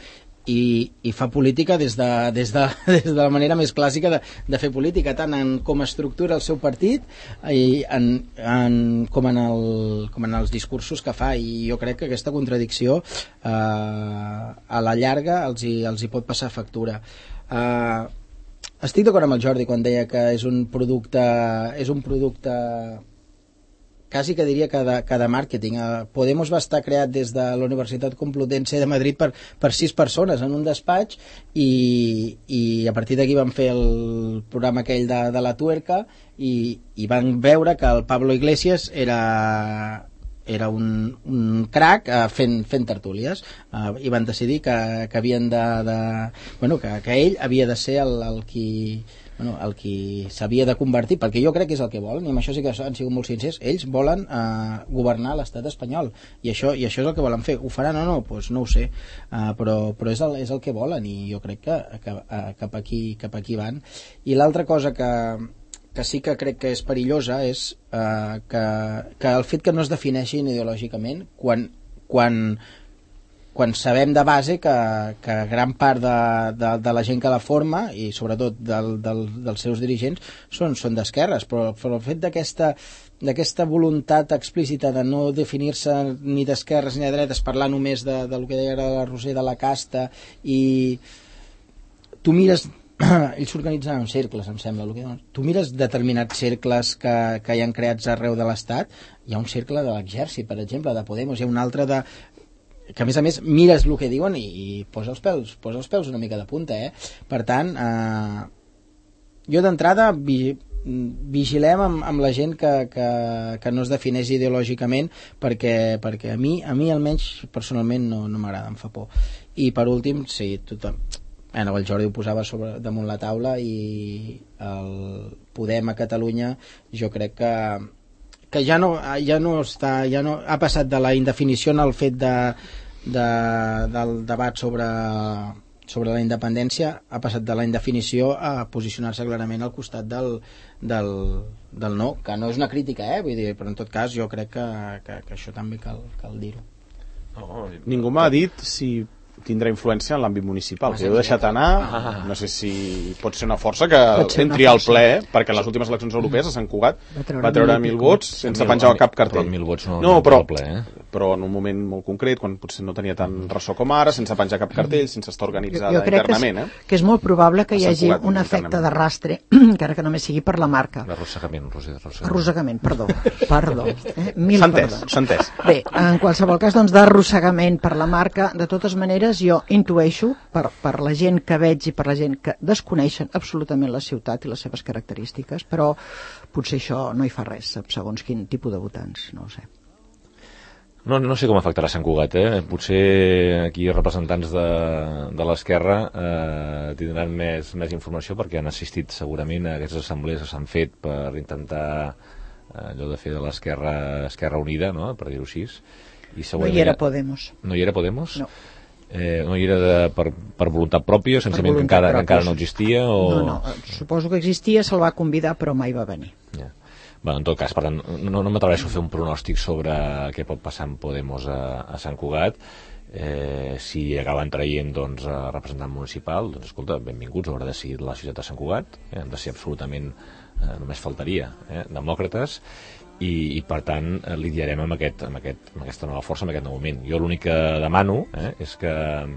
I, i fa política des de, des, de, des de la manera més clàssica de, de fer política, tant en com estructura el seu partit i en, en, com, en el, com en els discursos que fa, i jo crec que aquesta contradicció eh, a la llarga els hi, els hi pot passar factura. eh, estic d'acord amb el Jordi quan deia que és un producte és un producte quasi que diria que de, que de màrqueting. Podemos va estar creat des de la Universitat Complutense de Madrid per, per sis persones en un despatx i, i a partir d'aquí van fer el programa aquell de, de la tuerca i, i van veure que el Pablo Iglesias era era un, un crac uh, fent, fent tertúlies uh, i van decidir que, que havien de, de bueno, que, que ell havia de ser el, el qui bueno, el qui s'havia de convertir, perquè jo crec que és el que volen, i amb això sí que han sigut molt sincers, ells volen eh, governar l'estat espanyol, i això, i això és el que volen fer. Ho faran o no? Pues no ho sé, uh, però, però és, el, és el que volen, i jo crec que, que uh, cap, aquí, cap aquí van. I l'altra cosa que, que sí que crec que és perillosa és uh, que, que el fet que no es defineixin ideològicament quan, quan quan sabem de base que, que gran part de, de, de la gent que la forma, i sobretot del, del, dels seus dirigents, són, són d'esquerres, però, però el fet d'aquesta d'aquesta voluntat explícita de no definir-se ni d'esquerres ni de dretes, parlar només de, de lo que deia la Roser, de la casta, i tu mires ells s'organitzen en cercles, em sembla, que, tu mires determinats cercles que, que hi han creats arreu de l'Estat, hi ha un cercle de l'exèrcit, per exemple, de Podemos, hi ha un altre de que a més a més mires el que diuen i, i posa els pèls, posa els pèls una mica de punta, eh? Per tant, eh, jo d'entrada vi, vigilem amb, amb la gent que, que, que no es defineix ideològicament, perquè, perquè a mi, a mi almenys personalment no, no m'agrada, em fa por. I per últim, sí, tothom, bueno, el Jordi ho posava sobre, damunt la taula, i el Podem a Catalunya jo crec que que ja no, ja no està, ja no ha passat de la indefinició en el fet de, de, del debat sobre, sobre la independència, ha passat de la indefinició a posicionar-se clarament al costat del, del, del no, que no és una crítica, eh? Vull dir, però en tot cas jo crec que, que, que això també cal, cal dir-ho. No, ningú m'ha dit si tindrà influència en l'àmbit municipal, que heu deixat anar, ah. no sé si pot ser una força que entri al ple, perquè en les últimes eleccions europees a Sant Cugat va treure mil vots sense penjar cap cartell. Però mil vots no, no, no però, al ple, eh? Però en un moment molt concret, quan potser no tenia tant ressò com ara, sense penjar cap cartell, sense estar organitzada jo, jo crec internament. Que és, eh? que és molt probable que hi hagi Cugat, un efecte d'arrastre, encara que només sigui per la marca. Arrossegament, Roser, arrossegament. Arrossegament, perdó. Perdó. Eh? Mil s'ha entès, perdons. s'ha entès. Bé, en qualsevol cas, doncs, d'arrossegament per la marca, de totes maneres, jo intueixo, per, per la gent que veig i per la gent que desconeixen absolutament la ciutat i les seves característiques, però potser això no hi fa res, segons quin tipus de votants, no ho sé. No, no sé com afectarà Sant Cugat, eh? Potser aquí representants de, de l'esquerra eh, tindran més, més informació, perquè han assistit segurament a aquestes assemblees que s'han fet per intentar eh, allò de fer de l'esquerra Esquerra Unida, no?, per dir-ho així. I no hi era Podemos. No hi era Podemos? No. Eh, no hi era de, per, per voluntat pròpia, senzillament que encara, que encara no existia? O... No, no, suposo que existia, se'l va convidar, però mai va venir. Ja. Bueno, en tot cas, per tant, no, no m'atreveixo a fer un pronòstic sobre què pot passar amb Podemos a, a Sant Cugat. Eh, si acaben traient, doncs, a representant municipal, doncs escolta, benvinguts, haurà decidit la ciutat de Sant Cugat, eh, han de ser absolutament, eh, només faltaria, eh, demòcrates, i, i per tant eh, lidiarem amb, aquest, amb, aquest, amb aquesta nova força, amb aquest nou moment. Jo l'únic que demano eh, és que eh,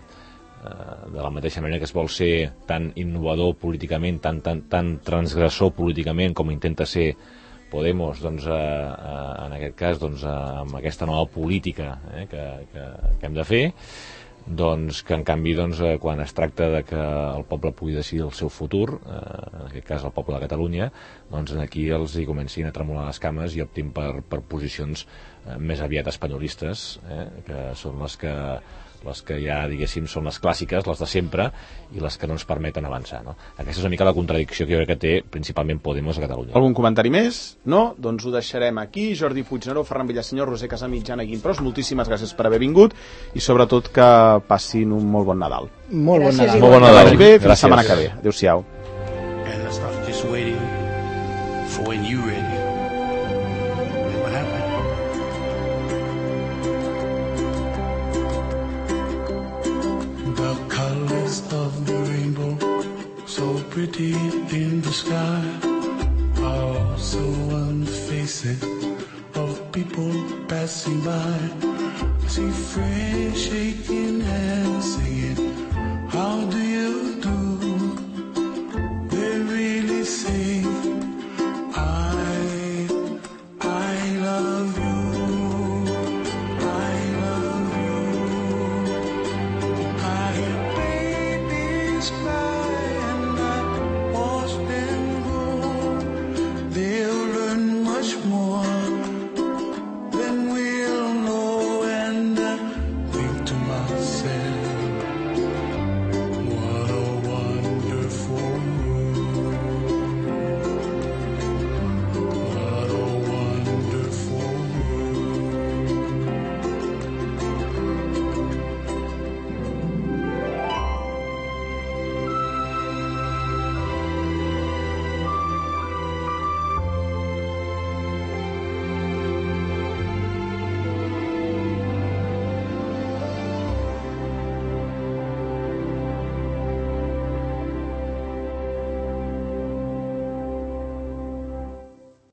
de la mateixa manera que es vol ser tan innovador políticament, tan, tan, tan transgressor políticament com intenta ser Podemos, doncs, eh, eh, en aquest cas, doncs, eh, amb aquesta nova política eh, que, que, que hem de fer, doncs que en canvi, doncs, eh, quan es tracta de que el poble pugui decidir el seu futur, eh, en aquest cas el poble de Catalunya, doncs aquí els hi comencin a tremolar les cames i optin per, per posicions eh, més aviat espanyolistes, eh, que són les que les que ja, diguéssim, són les clàssiques, les de sempre, i les que no ens permeten avançar, no? Aquesta és una mica la contradicció que jo crec que té principalment Podemos a Catalunya. Algun comentari més? No? Doncs ho deixarem aquí. Jordi Puigneró, Ferran Villasenyor, Roser Casamitjana, Guimpros, moltíssimes gràcies per haver vingut i sobretot que passin un molt bon Nadal. Molt bon Nadal. Molt bon Nadal. Que vagi bé, fins la setmana que ve. Adéu-siau. And I started just waiting for when you ready. And what happened? The colors of the rainbow, so pretty in the sky, are also on the faces of people passing by. I see friends shaking hands, singing, how do you